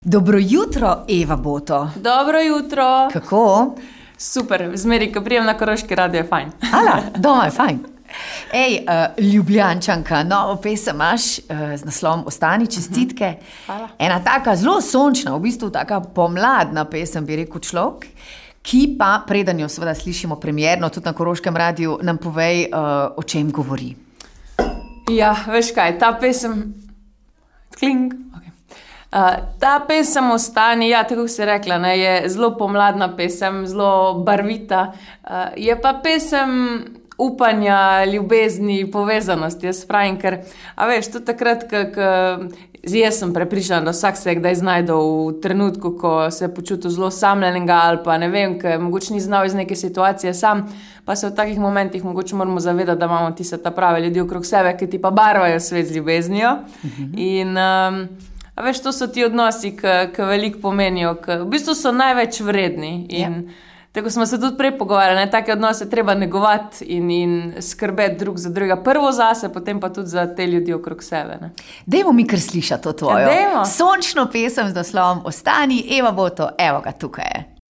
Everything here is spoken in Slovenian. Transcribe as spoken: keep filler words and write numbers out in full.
Dobro jutro, Eva Boto. Dobro jutro. Kako? Super, zmeri, ko prijem na Koroški radio, je fajn. Ala, doma je fajn. Ej, uh, Ljubljančanka, novo pesem imaš uh, z naslovom Ostani, čestitke. Hvala. Ena taka zelo sončna, v bistvu taka pomladna pesem, bi rekel človek, ki pa, preden jo seveda slišimo premierno, tudi na Koroškem radiju, nam povej, uh, o čem govori. Ja, veš kaj, ta pesem... Kling. Okay. Uh, ta pesem Ostani, ja, tako si rekla, ne, je zelo pomladna pesem, zelo barvita. Uh, je pa pesem upanja, ljubezni, povezanosti, jaz pravim, ker, a veš, tudi takrat, ko jaz sem prepričana, da vsak se je kdaj znajdel v trenutku, ko se je počutil zelo samljenega ali pa ne vem, ker mogoče ni znal iz neke situacije sam, pa se v takih momentih mogoče moramo zavedati, da imamo tiste ta prave ljudi okrog sebe, ki ti pa barvajo svet z ljubeznijo. Mhm. In um, a veš, to so ti odnosi, ki veliko pomenijo, ki v bistvu so največ vredni. In ja. Tako smo se tudi prej pogovarjali, take odnose treba negovati in, in skrbeti drug za drugega. Prvo zase, potem pa tudi za te ljudi okrog sebe. Ne? Dajmo mi kar slišati to tvojo. Ja, sončno pesem z naslovom Ostani, Eva Boto, evo ga tukaj je.